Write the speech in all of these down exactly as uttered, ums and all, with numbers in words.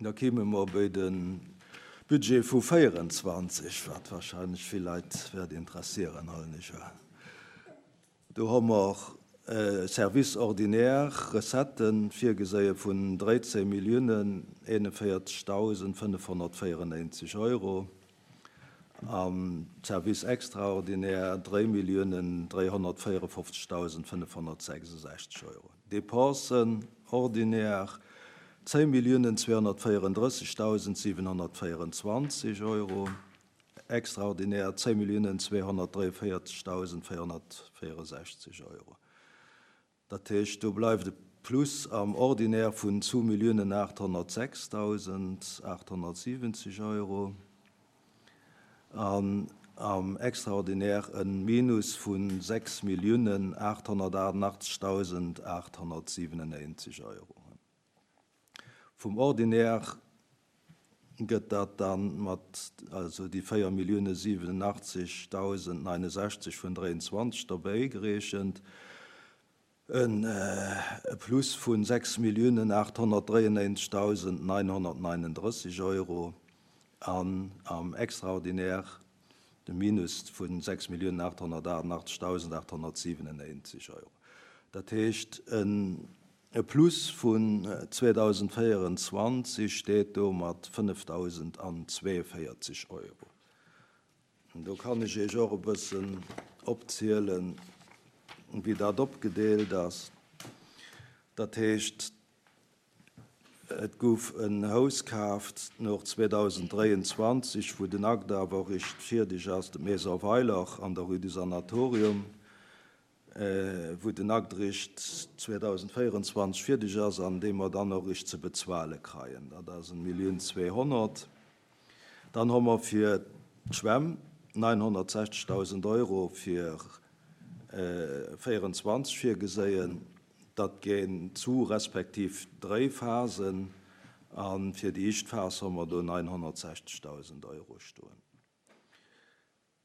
Da kime mer bei de Budget vu véierenzwanzeg, wat wahrscheinlech vill Leit wäert interessieren, allen ech un. Do hu mer Service ordinaire Recetten virgeséie vun dréizéng Milliounen eenenvéierzegdausend fënnefhonnertvéierennéinzeg Euro, am Service extraordinaire dréi Milliounen dréihonnertvéierefofzegdausend fënnefhonnertsechsundsechzeg Euro. Dépensen ordinaire zéng Milliounen zweehonnertvéierendrëssegdausend siwenhonnertvéierenzwanzeg Euro, extraordinaire zéng Milliounen zweehonnertdréienvéierzegdausend véierhonnertvéierundsechzeg Euro. Dat heescht, do bleift e Plus am Ordinaire vun zwou Milliounen aathonnertsechsdausend aathonnertsiwwenzeg Euro an am Extraordinaire e Minus vu sechs Milliounen aathonnertachtundachtzegdausend aathonnertsiwwenundnéinzeg Euro. Vum Ordinaire gëtt dat dann mat, also déi véier Milliounen siwenundachtzegdausend neunundsechzeg vun dräiundzwanzeg dobäi gerechent, en Plus vun sechs Milliounen aathonnertdréiundnéinzegdausend neunhonnertneununddrësseg Euro an am Extraordinaire de Minus vun sechs Milliounen aathonnertachtundachtzegdausend aathonnertsiwwenundnéinzeg Euro. Dat heescht, en Plus vun zweedausendvéierundzwanzeg steet do mat fënnefdausendzweeënvéierzeg Euro. Do kann ech iech och e bëssen opzielen, wéi dat opgedeelt ass. Dat heescht, et gouf en Haus kaaft no zweetausenddräiundzwanzeg, wou den Akt awer eréischt fierdeg ass, de Maison Weiler an der Rue du Sanatorium, wou den Akt eréischt zweetausendvéierundzwanzeg fierdeg ass an dee mer dann och eréischt ze bezuele kreien. Dat ass en Millioun zweehonnert. Dann hu mer fir d'Schwämm neunhonnertsechzegdausend Euro fir véierundzwanzeg virgeséien. Dat ginn zu respektiv dréi Phasen a fir déi éischt Phas hu mer do neunhonnertsechzegdausend Euro stoen.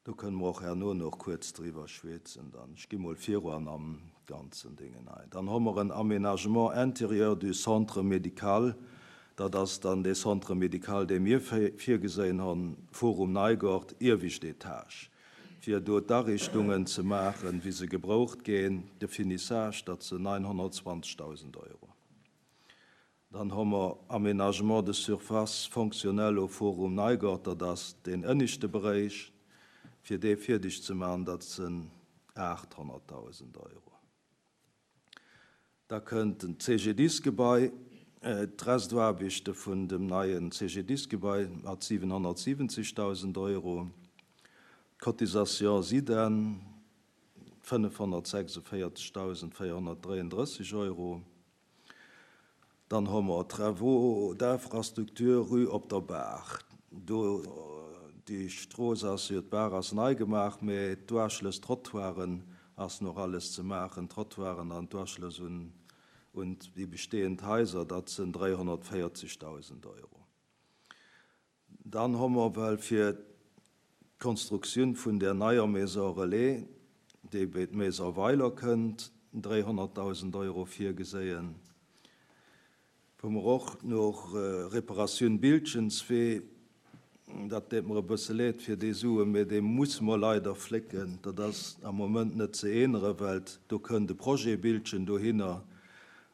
Do kënne mer och herno nach kuerz driwwer schwätzen. Dann ech gi mol viru an am ganzen Dingen ein. Dann hu mer en Aménagement intérieur du centre médical. Dat ass dann dee Centre médical, dee mir virgeséien hunn, Forum Neigort, iewescht Etage, fir do d'Ariichtungen ze maachen, wéi se gebraucht ginn, de Finissage, dat sinn neunhonnertzwanzegdausend Euro. Dann hu mer Aménagement de surface fonctionnelle au Forum Neigort, dat ass den ënneschte Beräich, fir dee fierdeg ze maachen, dat sinn aathonnertdausend Euro. Da kënnt den C G D I S-Gebai, d'Restaarbechte vun dem neien C G D I S-Gebai mat siwenhonnertsiwwenzegdausend Euro, d'Cotisation SIDEN fënnefhonnertsechsundvéierzegdausendvéierhonnertdräiunddrësseg Euro. Dann hu mer Travaux d'infrastructure Rue Op der Baach. Do déi Strooss ass jo, d'Baach ass nei gemaach, mee d'Uaschlëss, Trottoiren ass noch alles ze maachen, Trottoiren an d'Uaschlëss un un déi bestehend Haiser, dat sinn dräihonnertvéierzegdausend Euro. Dann hu mer well fir d'Konstruktioun vun der neier Maison Relais, déi bei d'Maison Weiler kënnt, dräihonnertdausend Euro virgeséien. Wou mer och noch Reparatioun Bildchenswee, dat deet mer e bësse leed fir déi Suen, mee dee musse mer leider flécken. Dat ass am Moment net ze änneren, well do kënnt de Projet Bildchen dohinner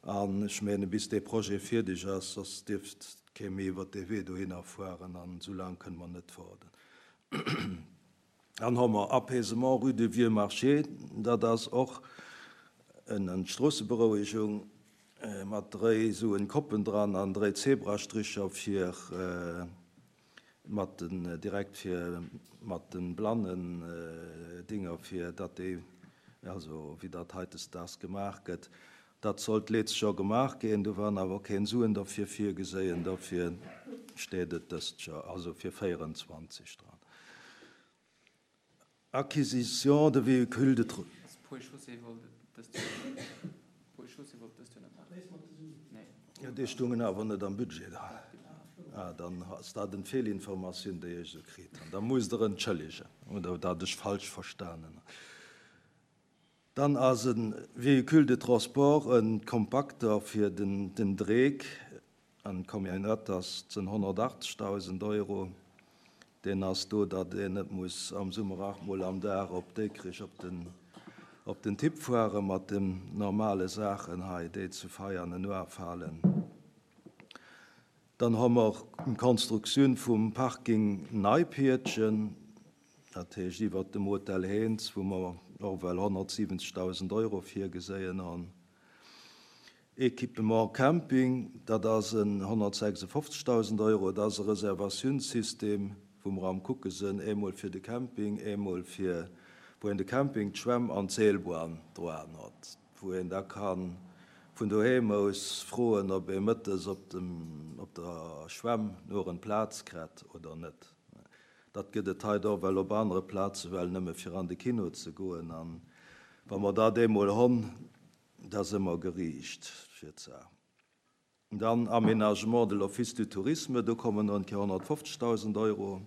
an ech menge bis dee Projet fierdeg ass, soss dierft kee méi iwwer dee Wee dohinner fueren an esou laang kënne mer net waarden. Dann hu mer Apaisement Rue du Vieux Marché, dat ass och eng Stroosseberouegung mat dréi soen Koppen dran an dréi Zebrastricher fir mat den direkt fir mat den blannen Dinger, fir datt déi, also wéi dat hautdesdaags gemaach gëtt. Dat sollt d'lescht Joer gemaach ginn, do waren awer keng Suen derfir virgeséien, dofir steet et dëst Joer, also fir véierundzwanzeg dran. Acquisition de véhicules de Ponts et Chaussées wollt dëst Joer Ponts et Chaussées wollt dëst Joer net maachen. Nee. Jo, déi stungen awer net am Budget dran. Ah, dann ass dat eng Feelinformatioun, déi ech esou kritt hunn. Da musst Der entschëllegen, oder dat ech falsch verstanen. Dann ass e Véhicule de transport, e Kompakter fir den den Dreck. An d'Camionnette ass sënn honnertachtzegdausend Euro. Deen ass do, datt een net muss am Summer aacht Mol am Dag op Dikrich op den, op den Tipp fuere mat den normale Saachen hei, déi zu Veianen ufalen. Dann hu mer d'Konstruktioun vum Parking Neipiertchen, dat heescht iwwer dem Hotel Heens, wou mer och well honnertsiwwenzegdausend Euro virgeséien hunn. Équipement Camping, dat ass en honnertsechsundfofzegdausend Euro, dat ass e Reservatiounssystem, wou mer am kucke sinn, eemol fir de Camping, eemol fir, wou een de Camping, d'Schwämm an d'Seelbahn dran huet, wou een da kann vun doheem aus froen, ob ee mëttes op dem, op der Schwämm nur en Plaz kritt oder net. Dat gëtt et hei och well op anere Plaze well nëmme fir an de Kino ze goen. An wa mer dat eemol hunn, da si mer geriicht fir d'Saach. Dann Aménagement de l'Office du Tourisme, do kommen noch honnertfofzegdausend Euro.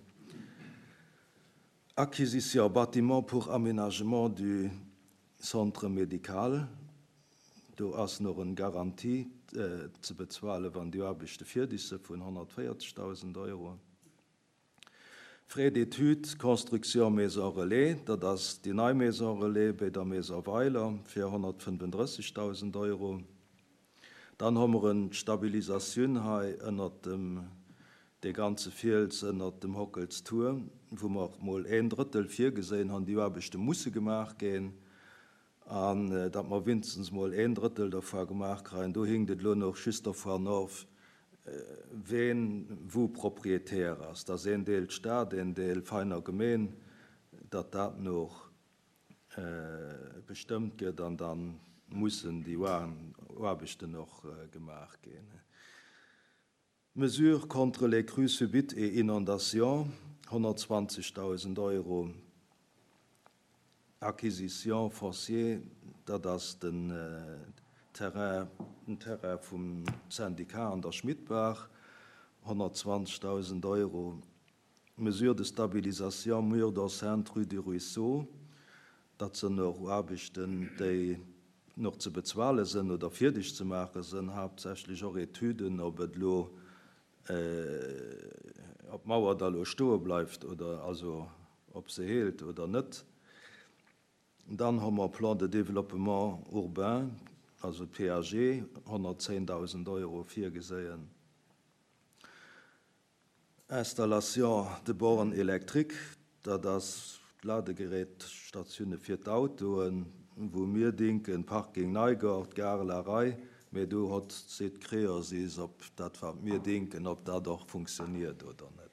Acquisition bâtiment pour aménagement du centre médical, do ass noch eng Garantie äh, ze bezuelen, wann déi Aarbechte fäerdeg si vun honnertvéierzegdausend Euro. Frais d'études, construction Maison Relais, dat ass déi nei Maison Relais bei der Maison Weiler fir honnertfënnefundrëssegdausend Euro. Dann hu mer eng Stabilisatioun hei ënner dem de ganze Fiels ënner dem Hockelstour, wou mer mol een Drëttel virgesinn hunn, déi Aarbechte musse gemaach ginn, an äh, datt mer wéinstens mol een Drëttel dervu gemaach kréien. Do hinkt et lo nach just dervun of, äh, ween wou Proprietär ass. Dat ass een Deel Staat, een Deel Veiner Gemeen, datt dat nach äh, bestëmmt gëtt an dann mussen déi Aarbechten nach äh, gemaach ginn. Mesures contre les crues subites et inondations, honnertzwanzegdausend Euro. Acquisition foncier, dat ass den äh, Terrain, den Terrain vum Syndikat an der Schmidtbaach, honnertzwanzegdausend Euro. Mesures de stabilisation mur d'enceinte rue du Ruisseau, dat sinn nach Aarbechten, déi nach ze bezuele sinn oder fäerdeg ze maache sinn, haaptsächlech och Etüden, ob et lo äh, ob d'Mauer da lo stoe bleift oder also ob se hält oder net. Dann hu mer Plan de développement urbain, also P A G, honnertzéngdausend Euro virgeséien. Installation de bornes électriques, dat ass Ladegerätstatioune fir d'Autoen, wou mir denken, Parking Neigort, Gare La Rei, mee do huet seet Creosis, ob dat wat mir denken, ob dat och funktioniert oder net.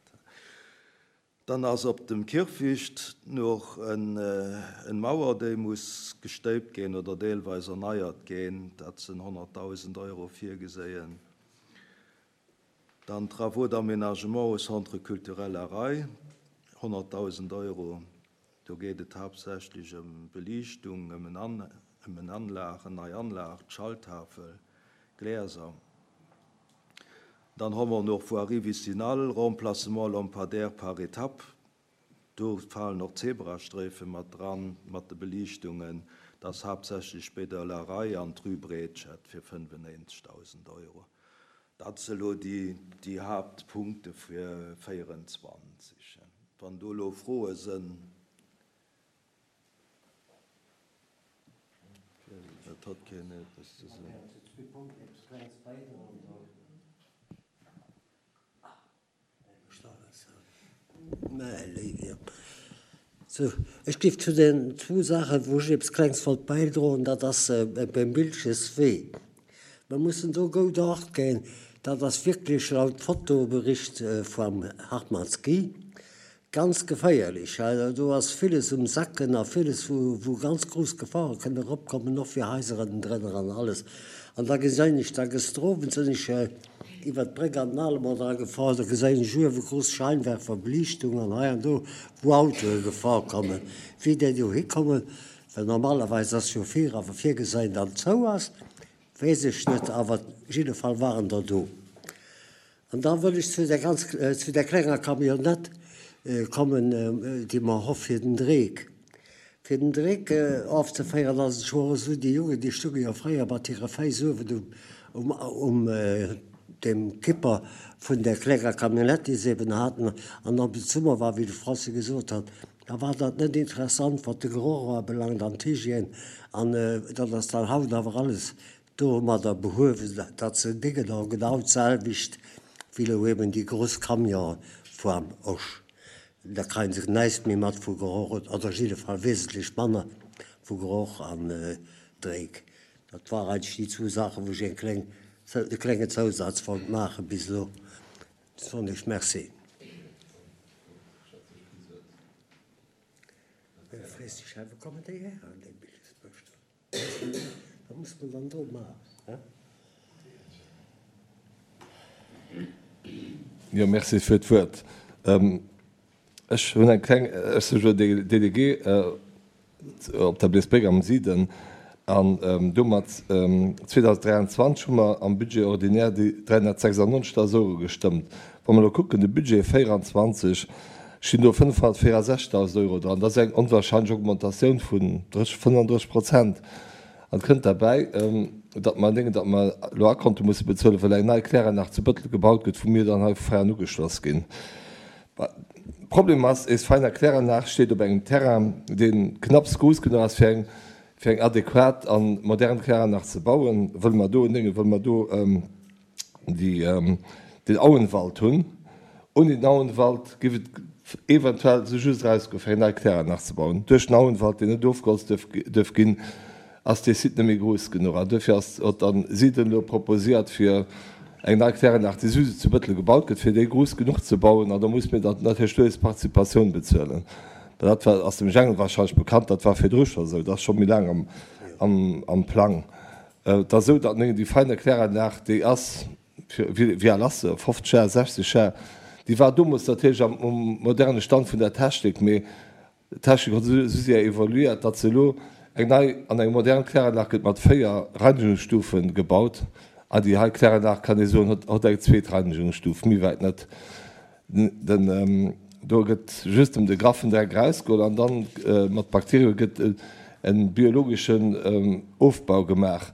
Dann ass op dem Kierfecht nach eng, äh, eng Mauer, déi muss gestéipt ginn oder deelweis erneiert ginn, dat sinn honnertdausend Euro virgeséien. Dann Travaux d'aménagement au Centre culturel La Rei, honnertdausend Euro. Do geet et haaptsächlech ëm Beliichtung, ëm en An ëm en Anlag, eng nei Anlag, d'Schalttafel, Glieser. Dann hu mer nach Voirie vicinale, Remplacement lampadaire par étape. Do falen nach Zebrasträife mat dran, mat de Beliichtungen. Dat ass haaptsächlech bei der La Rei an d'Rue Breetschett fir fënnefennéinzegdausend Euro. Dat sinn elo déi, déi Haaptpunkte fir véierundzwanzeg. Wann do lo Froe sinn, dat huet keen eppes ze soen. Zwee Punkten, eppes Klenges bäidroen soll. Mä, so, ech géif zu den zwou Saachen, wou ech eppes Klenges wollt bäidroen, dat ass äh, beim Bilches Wee. Mir mussen do gutt Acht ginn, dat ass wierklech laut Fotobericht äh, vum Hartmanns Guy ganz geféierlech. Also, do ass villes um Sacken a villes, wou, wou ganz grouss Gefore kënnen eropkommen, och fir Haiser drënner an alles. An da gesinn ech, da gëschter Owend sinn ech äh, iwwer d'Bréck an den Alemont dra gefuer, da gesinn ech uewe grouss Scheinwerfer, Beliichtung an hei an do, wou Autoe gefuer kommen. Wéi déi do hikommen, well normalerweis ass jo vir awer virgesinn, dann zou ass, weess ech net, awer op jidde Fall waren der do. An da wëll ech zu der ganz äh, zu der klenger Camionnette äh, kommen, äh, déi mer hu fir den Dreck. Fir den Dreck äh, ofzeféieren, ass et schonn esou, déi Jungen, déi stounge jo fréier mat hire Féiss uewen um, um, um äh, dem Kipper vun der klenger Camionnette, déi se eben haten, an op de Summer war, wéi de Franzi gesot hat, da war dat net interessant, wat de Geroch ubelaangt an d'Hygiène, an dat ass dann haut awer alles domadder behuewen, datt se Déngen och genau d'selwecht wéi elo eben déi grouss Camionen vum Osch. Da kréie se näischt méi mat vu Geroch, oder op jidde Fall wesentlech manner vu Geroch an Dréck. Dat war eigentlech déi zwou Saachen, wou ech eng kleng, e klenge Zousaz wollt maachen bis elo. Soen ech Merci. Frees dech hei, wou kommen déi her an déi Bildungsbëschter? Wat muss man dann do maachen? Jo, merci fir d'Wuert. Ech hunn eng kleng, ech si jo Délégué op der Bleesbréck am Siden an domat zweedausenddräianzwanzeg hu mer am Budget ordinaire déi dräihunnertsechsundneunzigtausend Euro gestëmmt. Wa mer elo kucken, de Budget véieranzwanzeg, stinn do fënnfhunnertvéierundsechzigtausend Euro dran. Dat ass eng onwahrscheinlech Augmentatioun vun fënnfundrësseg Prozent. An et kënnt derbäi, datt mer denken, datt mer elo Akonte musse bezuelen, well eng nei Kläranlag zu Bëttel gebaut gëtt, wou mir dann hei vu Veianen ugeschloss ginn. Problem ass, eis feiner Kläranlag steet op engem Terrain, dee knapps grouss genuch ass, fir eng, fir eng adequat an modern Kläranlag ze bauen. Wëlle mer do, Dénge, wëlle mer do déi, den Auenwald hunn. Ouni den Auenwald géif et eventuell sou just erausgoen, fir eng nei Kläranlag ze bauen. Duerch den Auenwald, deen net ofgeholzt duerf, duerf ginn, ass dee Site net méi grouss genuch. An duerfir ass, huet dann Siden elo proposiert, fir eng nei Kläranlag, déi souwisou zu Bëttel gebaut gëtt, fir déi grouss genuch ze bauen. An da muss mir dann natierlech do eis Participatioun bezuelen. Dat war, ass dem Jengel wahrscheinlech bekannt, dat war virdru scho sou, dat ass scho méi laang am, am, am Plang. Et ass esou, datt déi feine Kläranlag, déi ass, fir, wéi, wéi al ass se, fofzeg Jar, sechzeg Jar, déi war domols natierlech am, um moderne Stand vun der Technik, mee d'Technik huet esou séier evoluiert, datt se elo eng nei an eng modern Kläranlag gëtt mat véier Reinigungsstufen gebaut. An déi hei Kläranlag, kann ee soen, huet, huet eng zweet Reinigungsstuf, méi wäit net. Den, do gëtt just ëm de graffen Dreck erausgeholl an dann mat Bakterie gëtt e biologeschen Ofbau gemaach,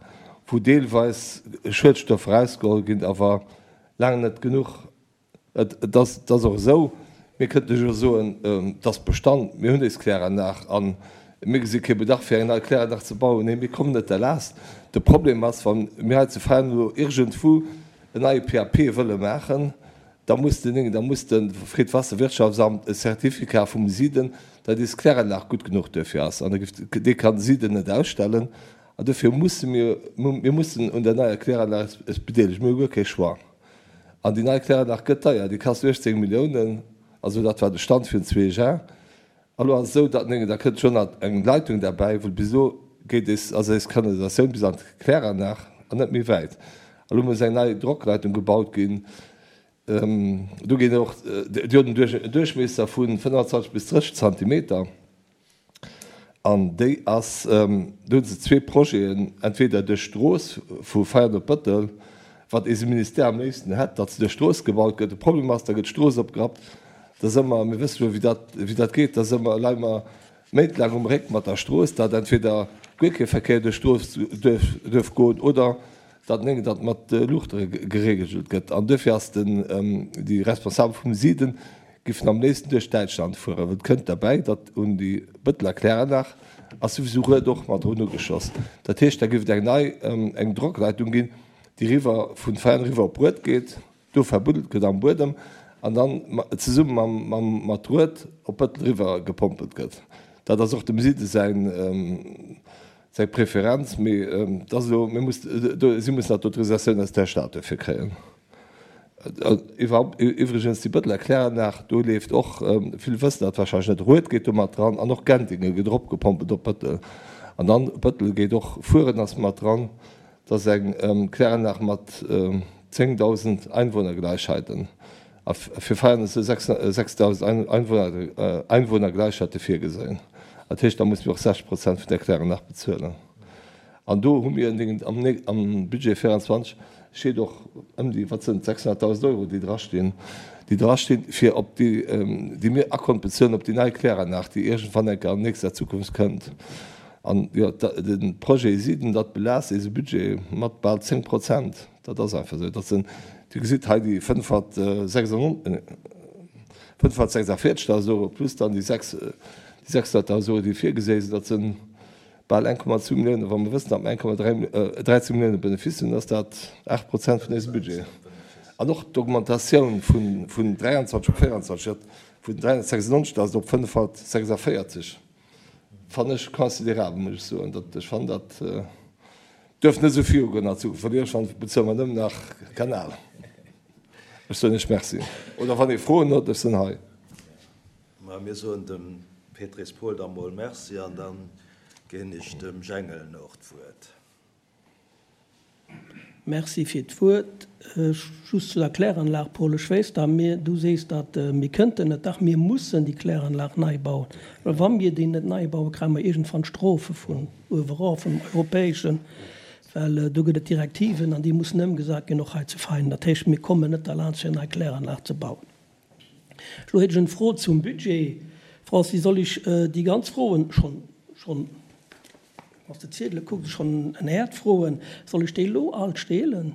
wou deelweis Schuedstoffer erausgeholl ginn, awer laang net genuch. Et, et ass, et ass och esou, mir kënnten jo soen, et ass Bestand, mir hunn eis Kläranlag an mir gesi kee Bedarf fir eng nei Kläranlag ze bauen. Nee, mir kommen net derlaascht. De Problem ass, wa mir hei zu Veianen elo iergendwou en neie P A P wëlle maachen, da muss den, da muss de Friedwasserwirtschaftsamt e Certificat vum Siden, datt eis Kläranlag gutt genuch duerfir ass. An da gëtt, dee kann Siden net ausstellen. An dofir musse mir, mir mussen un der neier Kläranlag es bedeelegen. Mir hu guer kee Choix. An déi nei Kläranlag gëtt deier, déi kascht uechtzéng Milliounen, also dat war de Stand virun zwee Jar. Elo ass et esou, datt da kënnt schonn nach eng Leitung derbäi, well bis elo geet eis, also eis Kanalisatioun bis an d'Kläranlag an net méi wäit. Elo muss eng nei Drockleitung gebaut ginn. Do ginn och, déi huet en Duerch-, en Duerchmiesser vu fënnfanzwanzeg bis drësseg Zentimeter. An déi ass, do hu se zwee Projeten, entweder duerch d'Strooss vu Veianen op Bëttel, wat eise Ministère am léifsten hätt, datt se duerch d'Strooss gebaut gëtt. De Problem ass, da gëtt d'Strooss opgerappt. Da si mer, mir wësse jo, wéi dat, wéi dat geet, da si mer, leie mer méintlaang um Réck mat der Strooss, datt entweder guer kee Verkéier duerch d'Strooss duerf, duerf goen oder datt néng, datt mat Luuchte geregelt gëtt. An duerfir ass den, déi Responsabel vum Siden giffen am léifsten duerch Däitschland fueren, well et kënnt derbäi, datt un déi Bëtteler Kläranlag ass souwisou Rued och mat drun ugeschloss. Dat heescht, da giff et eng nei, eng Drockleitung ginn, déi riwwer vun Veianen riwwer op Rued geet, do verbuddelt gëtt am Buedem an dann zesumme mam, mam, mat Rued op Bëttel riwwer gepompelt gëtt. Dat ass och dem Siden säin, seng Preferenz, mee dat ass elo, mir muss, do, si mussen dat d'Autorisatioun aus der Stad dofir kréien. Iwwerhaupt, iwwregens, déi Bëtteler Kläranlag, do leeft och, vill wëssen dat wahrscheinlech net, Rued geet do mat dran an och Gendinge gëtt eropgepompelt op Bëttel. An dann Bëttel geet och, Fueren ass mat dran, dat ass eng Kläranlag mat zéngdausend Einwohnergleichheiten. A fir Veianen ass sechsdausend Einwohner, Einwohnergleichheiten virgesehen. Dat heescht, da musse mir och sechzeg Prozent vun der Kläranlag bezuelen. An do hu mir am, am Budget vierundzwanzeg steet och ëm déi, wat sinn sechshunnerttausend Euro, déi drastinn, déi drastinn, fir op déi, déi mir Akkont bezuelen op déi nei Kläranlag, déi iergendwann enker an nächster Zukunft kënnt. An jo, de Projet Siden, dat belaasst eise Budget mat bal zéng Prozent. Dat ass einfach esou. Dat sinn Dir gesitt hei déi fënnfhunnertsechsundvierzegtausend Euro plus dann déi sechshunnerttausend Euro, déi virgesé sinn. Dat si bal eng Komma zwou Milliounen. Wa mer wëssen, datt mer eng Komma dräi, dräizéng Millioune Benefice hunn, ass dat aacht Prozent vun eisem Budget. An och d'Augmentatioun vun dräianzwanzeg op véieranzwanzeg, dat vun dräihunnertsechsundneunzegtausend op fënnfhunnertsechsundvéierzeg, fannen ech considerabel, muss ech soen. Dat, ech fannen, dat duerf net esou virugoen an Zukunft, well iergendwann bezuele mer nëmmen nach Kanal. Ech soen Iech Merci. Oder wann ee Froen huet, ech sinn hei. Mä mir soen dem Pétris Paul da mol Merci an da ginn ech dem Jengel och d'Wuert. Merci fir d'Wuert. Just zu der Kläranlag, Paul, ech weess, datt mir, du sees, datt mir kënnten net, dach mir mussen déi Kläranlag nei bauen, well wa mir déi net nei bauen, kréie mer iergendwann Strofe vun uewerof, vum Europäeschen, well do gëtt et Direktiven an déi mussen ëmgesat ginn, och hei zu Veinen. Dat heescht, mir kommen net derlaanscht, fir nei Kläranlag ze bauen. Elo hätt ech eng Fro zum Budget. Francis, soll ech déi ganz Froen schonn, schonn, wann s de d'Ziedele kucks, schonn en Häert froen, soll ech déi elo all stehlen?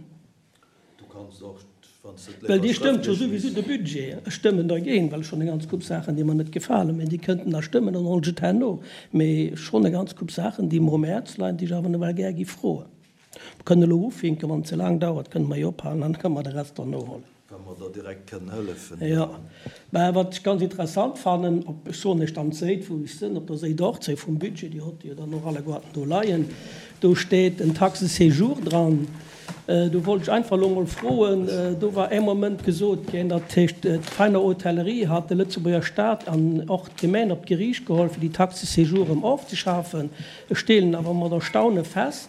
Du kanns och, wann s de et Well léiwer Dir stëmmt jo schrëftlech souwisou lies. de Budget. Ech stëmmen dergéint, well ech hunn eng ganz Koup Saachen, déi mer net gefalen, mä déi kënnten da stëmmen, dann hollt ech et herno. Mä ech hunn e ganz Koup Saachen, déi mer um Häerz leien, déi ech awer nawell gär gi froen. Mer kënnen elo ufinken, wann et ze laang dauert, kënne mer jo ophalen an da kënne mer de Rest dann nohollen. Wa mer der direkt kënnen hëllefen. Jo, mä wat ech ganz interessant fannen, op, ech soen lech dann d'Séit, wou ech sinn, op der Séit achtzéng vum Budget, déi hott Dir jo dann och alleguerten do leien, do steet en Taxe séjour dran. Do wollt ech einfach elo mol froen, do war ee Moment gesot ginn, dat heescht, d'Veiner Hotellerie hat de Lëtzebuerger Stat an och d'Gemeng op d'Geriicht geholl, fir déi Taxe séjour erëm ofzeschafen. Ech stellen awer mat Erstaune fest,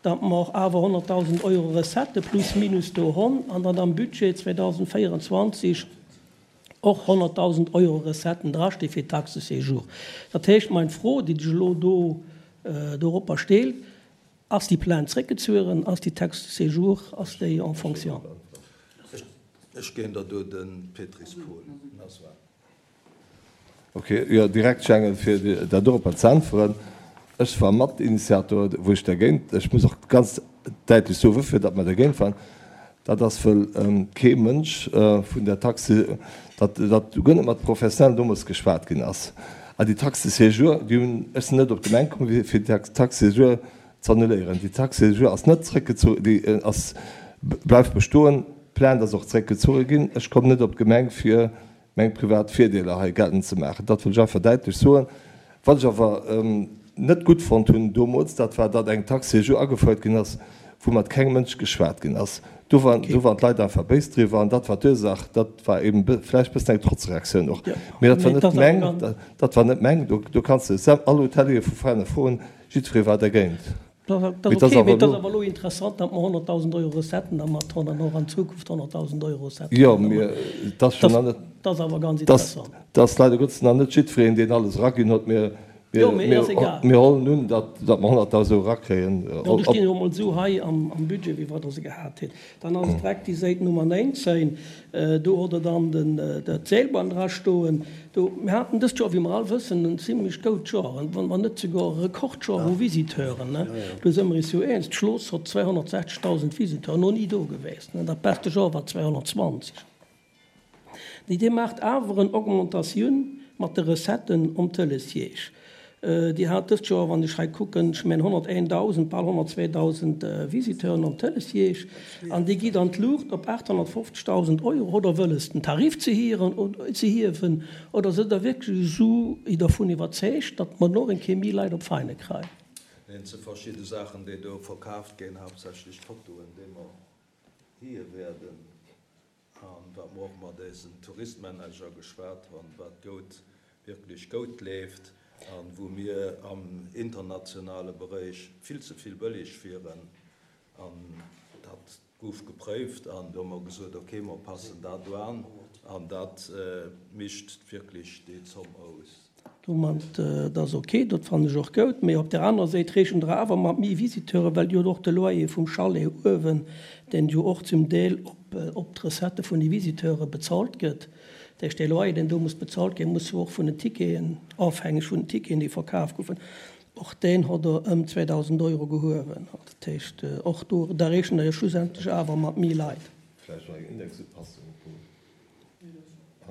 datt mer awer honnertdausend Euro Recettë plus minus do honn an datt am Budget zweedausendvéierundzwanzeg och honnertdausend Euro Recetten drasti fir d'Taxe séjour. Dat heescht, meng Fro, déi sech elo do doropper steelt, Ass déi Plainte zréckgezueren? Ass déi Taxe séjour, ass déi en fonction? Ech ginn der do de Pétris Paul. Ok, jo, direkt Jengel, fir dat doropper ze äntweren. Ech war Matinitiator, wou ech dergéint, ech muss och ganz däitlech soen, woufir datt mer dergéint waren, dat ass, wëll kee Mënsch vun der Taxe, datt datt guer net mat Professionellen deemools geschwat ginn ass. An déi Taxe de séjour, déi hunn, ech sinn net op d'Gemeng komm, fir déi Taxe de séjour z'annuléieren. Déi Taxe de séjour ass net zréckgezu, déi ass, bleift bestoen. D'Plainte ass och zréckgezuche ginn. Ech kommen net op d'Gemeng, fir meng privat Virdeeler hei geltend ze maachen. Dat wëll ech einfach däitlech soen. Wat ech awer net gutt fonnt hunn deemools, dat war, datt eng Taxe séjour agefouert ginn ass, wou mat kengem Mënsch geschwat ginn ass. Do waren, do waren d'Leit einfach béis driwwer an dat war d'Ursach. Dat war eben vläicht e bëssen eng Trotzreaktioun och. Mee dat war net meng, dat war net meng. Do, do kanns de all Hoteliere vu Veräiner froen, jiddweree war dergéint. Dat ass ok, mee et ass awer elo interessant, datt mer honnertdausend Euro Recetten dermat hunn an och an Zukunft honnertdausend Euro Recetten Jo, mee et ass schonn nach net, Dat ass awer ganz interessant. Dat ass leider Gottes nach net jiddwereen, deen alles eraginn huet. Mir, Jo, mee ass egal. mir hollen un, datt, datt mer honnertdausend Euro erakréien. Jo, do stinn jo emol esou hei am, am Budget, wéi wat Der se gehat hutt. Dann ass et direkt déi Säit Nummer néinzéng. Do hutt Der dann den, d'Seelbahn dra stoen. Do, mir haten dëst Joer, wéi mer all wëssen, en zimlech goud Joer, wann mer net souguer e Rekordjoer u Visiteuren, ne? Do si mer is jo eens. D'Schloss hott zweihunnertsechzegtausend Visiteuren, no ni do geweest, ne? Dat beste Joer war zweihunnertzwanzeg. Déi Dir maacht awer en Augmentatioun mat de Recetten om Télésiège. Dir hat dëst Joer, wann ech hei kucken, ech mengen honnerteendausend, bal honnertzweedausend Visiteuren om Télésiège an déi geet an d'Luucht op aathonnertfofzegtausend Euro. Hutt Der wëlles, den Tarif ze hieren, ze hiewen oder sidd Der wierklech esou dervun iwwerzeegt, datt mer noch eng Kéier méi Leit op Veine kréien? Et si verschidde Saachen, déi do verkaaft ginn, haaptsächlech d'Fotoen, déi mer hie werden. An wat mer och mat eisen Touristmanager geschwat hunn, wat goud, wierklech goud leeft an wou mir am internationale Beréich vill ze vill bëlleg wieren. An dat gouf gepréift an do hu mer gesot, okay, mer passen dat do an an dat mischt wierklech déi Zomm aus. Domat, dat ass ok, dat fannen ech och goud. Mee op där anerer Séit rechent Der awer mat méi Visiteuren, well jo och de Loyer vum Chalet uewen, deen jo och zum Deel op op d'Recettë vun de Visiteure bezahlt gëtt. Dat heescht, dee Loyer, deen do muss bezahlt ginn, muss jo och vun den Ticketen, ofhängeg vun den Ticketen, déi verkaf goufen, och deen hott Der ëm zweedausend Euro gehuewen. Dat heescht, och do, da rechent Der jo schlussendlech awer mat méi Leit. vläicht och eng Indexupassung.